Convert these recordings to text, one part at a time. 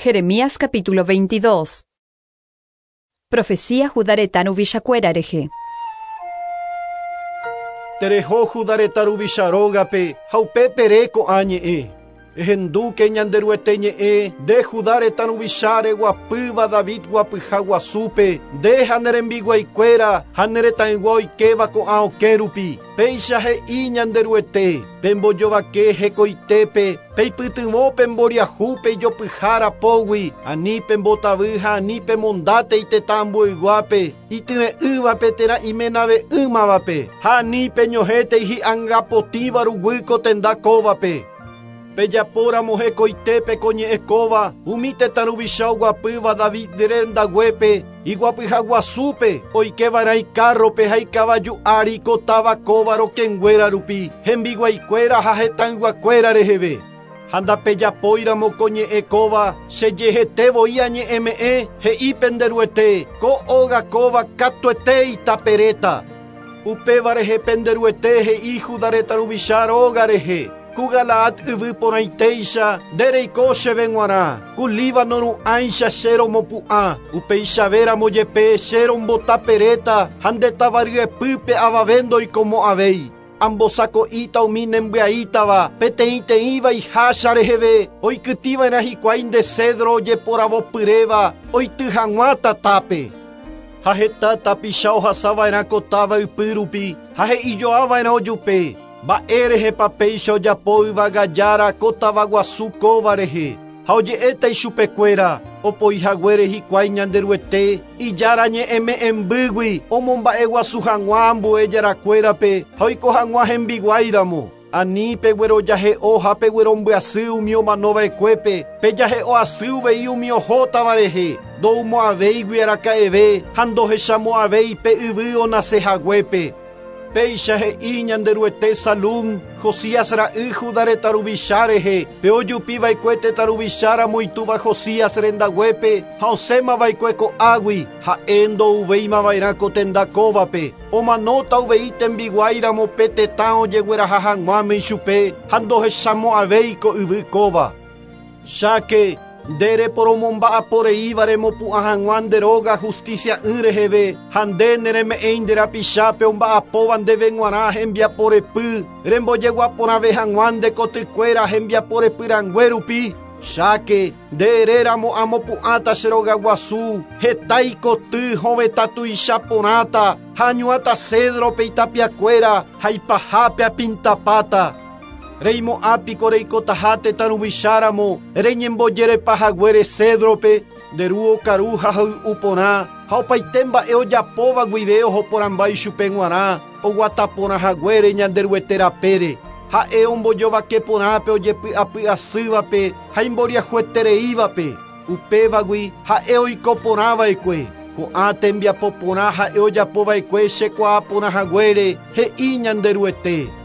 Jeremías capítulo 22. Profecía Judá retã ruvichakuéra rehe. Tereho Judá retã ruvicha rógape ha upépe ere ko'ã ñe'ẽ. Ehendúke Ñanderuete ñe'ẽ, nde Judá retã ruvicha reguapýva David guapyha guasúpe, nde ha ne rembiguaikuéra ha ne retãygua oikéva ko'ã okẽ rupi. Péicha he'i Ñanderuete, Pembojovake hekoitépe, peipytyvõ pe mboriahúpe ijopyhára pógui, ani pembotavy ha ani pemondátei tetã ambueyguápe, ityre'ỹvape térã imenave'ỹmavape, ha ani peñohẽtei hi'anga potĩva ruguy ko tenda kóvape. Pejapóramo hekoitépe ko ñe'ẽ kóva, umi tetã ruvicha oguapýva David rendaguépe, iguapyha guasúpe, oike va'erã ikárrope ha ikavaju ári ko táva kóva rokẽnguéra rupi, hembiguaikuéra ha hetãyguakuéra reheve. Ha ndapejapóiramo ko ñe'ẽ kóva, che jehete voi añe'ẽme'ẽ, he'i pende Ruete, ko óga kóva katuete itaperéta. Upéva rehe pende Ruete he'i Judá retã ruvicha róga rehe, Ku Galaad yvy porãitéicha nde reiko chéve g̃uarã, ku Líbano ru'ãicha che romopu'ã, upeichavéramo jepe che rombotaperéta ha nde táva ryepýpe avave ndoikomo'ãvéi. Ambosako'íta umi nembyaítava, peteĩteĩva ihácha reheve, oikytĩva'erã hikuái nde cedro ojeporavopyréva oity hag̃ua tatápe. Ha heta tapicha ohasava'erã ko táva ypy rupi ha he'ijoava'erã ojupe, Mba'e rehepa péicha ojapo yvága Jára ko tavaguasu kóva rehe? Ha oje'éta ichupekuéra, opoi haguére hikuái Ñanderuete, Ijára ñe'ẽme'ẽmbýgui omomba'eguasu hag̃ua ambue jarakuérape ha oiko hag̃ua hembiguái ramo. Ani peguerojahe'o ha peguerombyasy umi omano va'ekuépe, pejahe'o asy uvei umi ohótava rehe, ndoumo'ãvéigui araka'eve ha ndohechamo'ãvéi pe yvy onase haguépe. Péicha he'i Ñanderuete Salum, Josías ra'y Judá retã ruvicha rehe, pe ojupi va'ekue tetã ruvicha ramo itúva Josías rendaguépe ha osẽma va'ekue ko'águi, ha'e ndouvéima va'erã ko tenda kóvape, omanóta uvei tembiguái ramo pe tetã ojegueraha hag̃uáme ichupe ha ndohechamo'ãvéi ko yvy kóva. Cháke, nde reporomomba'apo reíva remopu'ã hag̃ua nde róga hustísia'ỹ reheve, ha nde nereme'ẽi nde rapichápe omba'apóva ndéve g̃uarã hembiapo repy, rembojegua porãve hag̃ua nde kotykuéra hembiapo repy rangue rupi. Cháke, nde eréramo amopu'ãta che rogaguasu, heta ikoty hovetã tuicha porãta, ha añuãta cédrope itapiakuéra ha ipahápe apintapáta. Reimo'ã piko reikotaha tetã ruvicha ramo reñembojerepa haguére cédrope, nde ru okaru ha hoy'u porã, ha opaite mba'e ojapóva guive oho porãmba ichupe g̃uarã, oguata porã haguére Ñanderuete rapére. Ha'e ombojovake porã pe ojepy'apy asývape ha imboriahuetereívape, upévagui ha'e oiko porã va'ekue. Ko'ã tembiapo porã ha'e ojapo va'ekue chekuaa porã haguére, he'i Ñanderuete.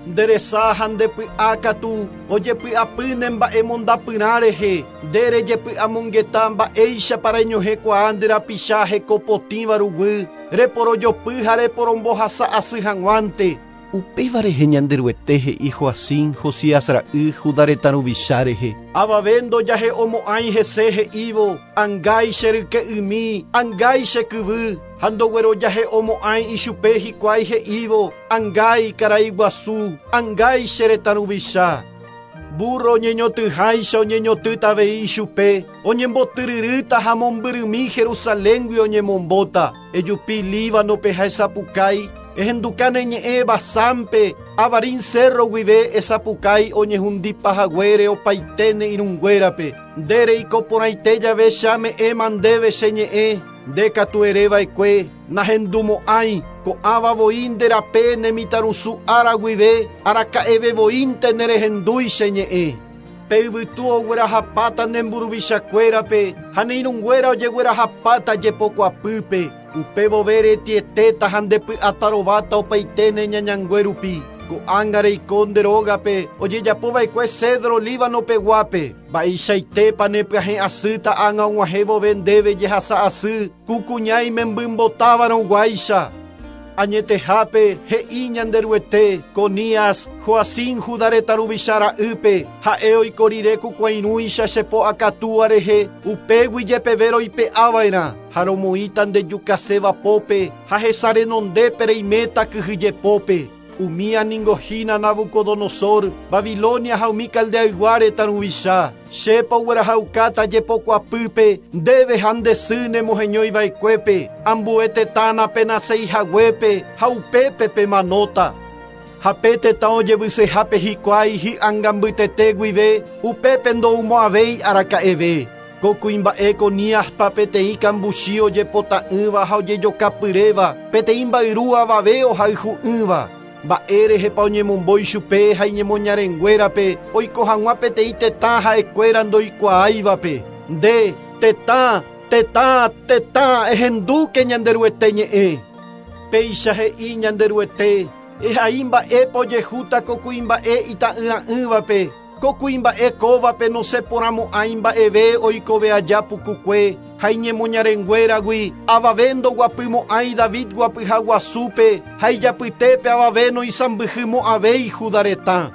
Nde resa ha nde py'a katu ojepy'apy ne mba'emondapyrã rehe, nde rejepy'amongeta mba'éichapa reñohẽkuaa nde rapicha heko potĩva ruguy, reporojopy ha reporombohasa asy hag̃uánte. Upéva rehe Ñanderuete he'i Joacim, Josías ra'y, Judá retã ruvicha rehe. Avave ndojahe'omo'ãi hese he'ívo, Angái che ryke'ymi, angái che kyvy, ha ndoguerojahe'omo'ãi ichupe hikuái he'ívo, Angái karai guasu, angái che retã ruvicha. Búrro oñeñotỹháicha oñeñotỹta avei ichupe, oñembotyryrýta ha mombyrymi Jerusaléngui oñemombóta. Ejupi Líbanope ha esapukái, ehenduka ne ñe'ẽ Basánpe, Abarim cérro guive esapukái oñehundipa haguére opaite ne irũnguérape. Nde reiko porãite jave che ame'ẽma ndéve che ñe'ẽ, nde katu ere va'ekue, Nahendumo'ãi, ko'ãva voi nde rape ne mitãrusu ára guive, araka'eve voínte nerehendúi che ñe'ẽ. Pe yvytu oguerahapáta ne mburuvichakuérape ha ne irũnguéra ojeguerahapáta jepokuapýpe, upe vove retietéta ha nde py'atarováta opaite ne ñañangue rupi. Ko'ág̃a reiko nde rógape ojejapo va'ekue cedro Líbano peguápe. Mba'eichaitépa nepyahẽ asýta ág̃a og̃uahẽ vove ndéve jehasa asy ku kuña imembymbotávarõ guáicha. Añetehápe he'i Ñanderuete, Conías, Joacim Judá retã ruvicha ra'ýpe, ha'e oiko rire ku kuãirũicha che po akatúa rehe, upégui jepeve roipe'ava'erã, ha romoĩta ndejukaséva pópe, ha hesa renondépe reiméta kyhyjepópe. Umía ningo hína Nabucodonosor, Babilonia ha umi Caldeaygua retã ruvicha. Chépa oguerahaukáta jepokuapýpe, ndéve ha nde sy nemoheñoiva'ekuépe, ambue tetã napenaseihaguépe ha upépe pemanóta. Ha pe tetã ojevysehápe hikuái hi'ánga mbytete guive, upépe ndoumo'ãvéi araka'eve. Ko kuimba'e Coníaspa peteĩ kambuchi ojepota'ỹva ha ojejokapyréva, peteĩ mbayru avave ohayhu'ỹva. Mba'érehepa oñemombo ichupe ha iñemoñarenguérape oiko hag̃ua peteĩ tetã ha'ekuéra ndoikuaáivape. Nde, tetã, tetã, tetã, ehendúke Ñanderuete ñe'ẽ. Péicha he'i Ñanderuete, ehai mba'épa ojehúta ko kuimba'e ita'yra'ỹvape, ko kuimba'e kóvape nosẽporãmo'ãi mba'eve oikove aja pukukue ha iñemoñarenguéragui avave ndoguapymo'ãi David guapyha guasúpe ha ijapytépe avave noisãmbyhymo'ãvéi Judá retã.